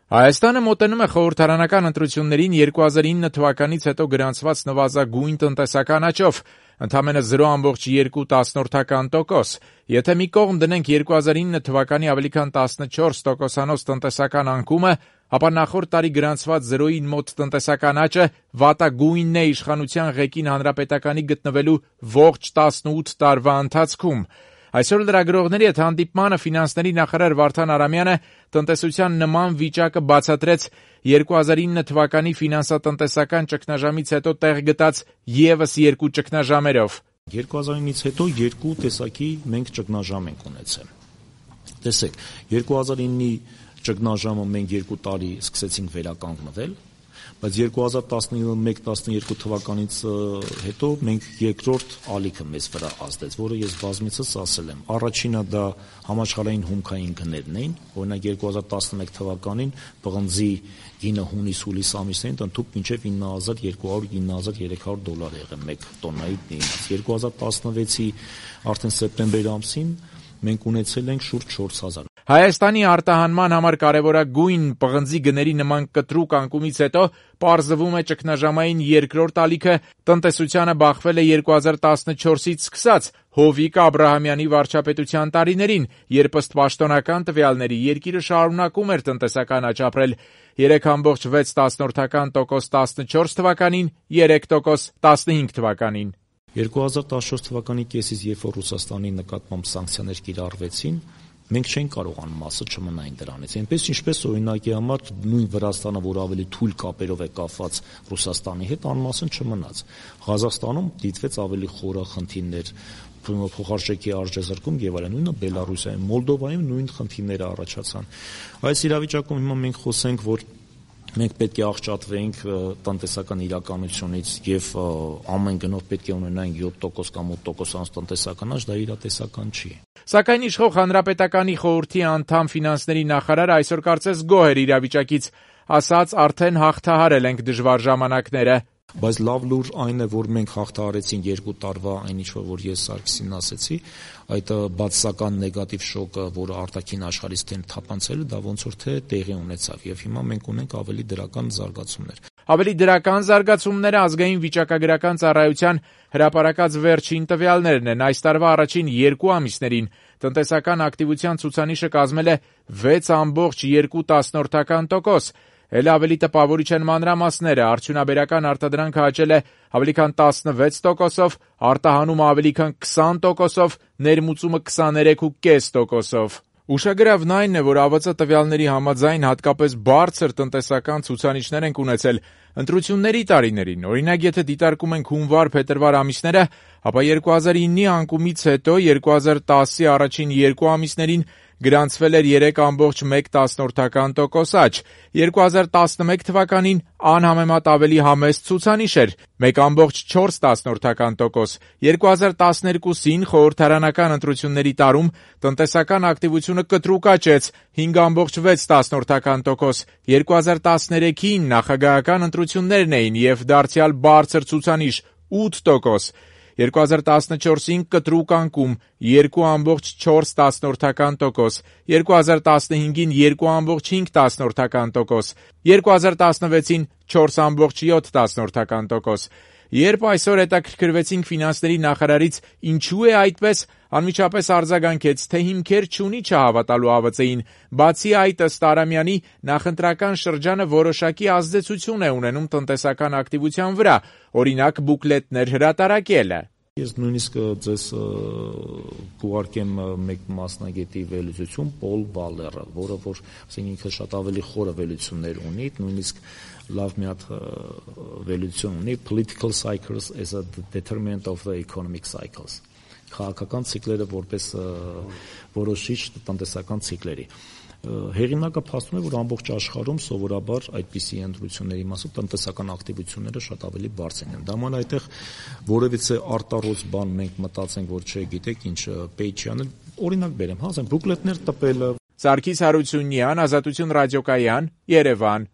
Հայաստանը մոտենում է խորհրդարանական ընտրություններին 2009 թվականից հետո գրանցված նվազագույն տնտեսական աճով, ընդամենը 0,2%։ Եթե մի կողմ դնենք 2009 թվականի ավելի քան 14%-անոց տնտեսական անկումը, ապա նախորդ տարի գրանցված 0-ին մոտ տնտեսական աճը վատագույնն է իշխանության ղեկին Հանրապետականի գտնվելու ողջ 18 տարվա ընթացքում։ Այսօր լրագրողների հետ հանդիպմանը ֆինանսների նախարար Վարդան Արամյանը տնտեսության նման վիճակը բացատրեց 2009 թվականի ֆինանսատնտեսական ճգնաժամից հետո տեղ գտած ևս երկու ճգնաժամերով։ 2009-ից հետո երկու տեսակի մենք ճգնաժամ ենք ունեցել։ Տեսեք, 2009-ի ճգնաժամը մենք 2 տարի սկսեցինք վերականգնվել, բայց 2011-12 թվականից հետո մենք երկրորդ ալիքը մեզ վրա ազդեց, որը ես բազմիցս ասել եմ։ Առաջինը դա համաշխարհային հումքային գներն էին, օրինակ 2011 թվականին պղնձի գինը հունիս-հուլիս ամիսներին ընդհանուր մինչև 9,200-9,300 դոլար եղել մեկ տոննայի դիմաց։ 2016-ի արդեն սեպտեմբեր ամսին մենք ունեցել ենք շուրջ 4,000։ Հայաստանի արտահանման համար կարևորագույն պղնձի գների նման կտրուկ անկումից հետո պարզվում է ճգնաժամային երկրորդ ալիքը տնտեսությանը բախվել է 2014-ից սկսած Հովիկ Աբրահամյանի վարչապետության տարիներին, երբ ըստ պաշտոնական տվյալների երկիրը շարունակում էր տնտեսական աճ ապրել 3,6% 14 թվականին, 3% 15 թվականին։ 2014 թվականի կեսից, երբ որ Ռուսաստանի նկատմամբ սանկցիաներ կիրառվեցին, մենք չենք կարող անմասը չմնային դրանից։ Այնպես ինչպես օրինակի համար նույն Վրաստանը, որ ավելի թույլ կապերով է կապված Ռուսաստանի հետ, անմասն չմնաց։ Ղազախստանում դիտվեց ավելի խորը խնդիրներ, փոխարժեքի արժեզրկում եւ այլն, նույնը Բելարուսիայում, Մոլդովայում նույն խնդիրները առաջացան։ Այս իրավիճակում հիմա մենք խոսենք, որ մենք պետք է աղճատվենք տնտեսական իրականությունից եւ ամեն գնով պետք է ունենանք 7% կամ 8% տնտեսական աճ, դա իրատեսական չի։ Սակայն իշխող Հանրապետականի խորհրդի անդամ ֆինանսների նախարարը այսօր կարծես գոհ էր իրավիճակից, ասաց արդեն հաղթահարել ենք դժվար ժամանակները։ Բայց լավ լուր այն է, որ մենք հաղթահարեցինք 2 տարվա այն ինչ որ ես Սարգսին ասեցի, այդ բացասական նեգատիվ շոկը, որը արտաքին աշխարհից թափանցել է, դա ոնց որ թե տեղի ունեցավ եւ հիմա մենք ունենք ավելի դրական զարգացումներ։ Ավելի դրական զարգացումները ազգային վիճակագրական ծառայության հրապարակած վերջին տվյալներն են։ Այս տարվա առաջին 2 ամիսներին տնտեսական ակտիվության ցուցանիշը կազմել է 6,2%։ Էլ ավելի տպավորիչ են մանրամասները, արդյունաբերական արտադրանքը աճել է ավելի քան 16%, արտահանումը ավելի քան 20%, ներմուծումը 23,5%։ Ուշագրավն այն է, որ ԱՎԾ տվյալների համաձայն հատկապես բարձր տնտեսական ցուցանիշներ ենք ունեցել ընտրությունների տարիներին։ Օրինակ, եթե դիտարկում ենք հունվար-փետրվար ամիսները, ապա 2009-ի անկումից հետո 2010-ի առաջին 2 ամիսներին գրանցվել էր 3,1% աճ։ 2011 թվականին անհամեմատ ավելի համեստ ցուցանիշ էր 1,4%։ 2012-ին խորհրդարանական ընտրությունների տարում տնտեսական ակտիվությունը կտրուկ աճեց 5,6%։ 2013-ին նախագահական ընտրություններն էին եւ դարձյալ բարձր ցուցանիշ 8%։ 2014-ին կտրուկ անկում 2,4%, 2015-ին 2,5%, 2016-ին 4,7%։ Երբ այսօր հետաքրքրվեցինք ֆինանսների նախարարից ինչու է այդպես, անմիջապես արձագանքեց, թե հիմքեր չունի չհավատալու ԱՎԾ-ին։ Բացի այդ, ըստ Արամյանի, նախընտրական շրջանը որոշակի ազդեցություն է ունենում տնտեսական ակտիվության վրա, օրինակ բուկլետներ հրատարակելը։ Ես նույնիսկ ձեզ կուղարկեմ մեկ մասնագետի վերլուծություն Պոլ Վալերը, որը որ ինքը շատ ավելի խորը վերլուծություններ ունի, նույնիսկ լավ մի հատ վերլուծություն ունի Political Cycles as a Determinant of the Economic Cycles, քաղաքական ցիկլերը որպես որոշիչ տնտեսական ցիկլերի։ Հեղինակը փաստում է, որ ամբողջ աշխարհում սովորաբար այդպիսի ընտրությունների մասով տնտեսական ակտիվությունները շատ ավելի բարձր են։ Դա ման այդտեղ որևիցե արտառոց բան մենք մտածենք, որ չգիտեք ինչ պեյջի անել, օրինակ բերեմ, ասեմ բուկլետներ տպելը։ Սարգիս Հարությունյան, Ազատություն ռադիոկայան, Երևան։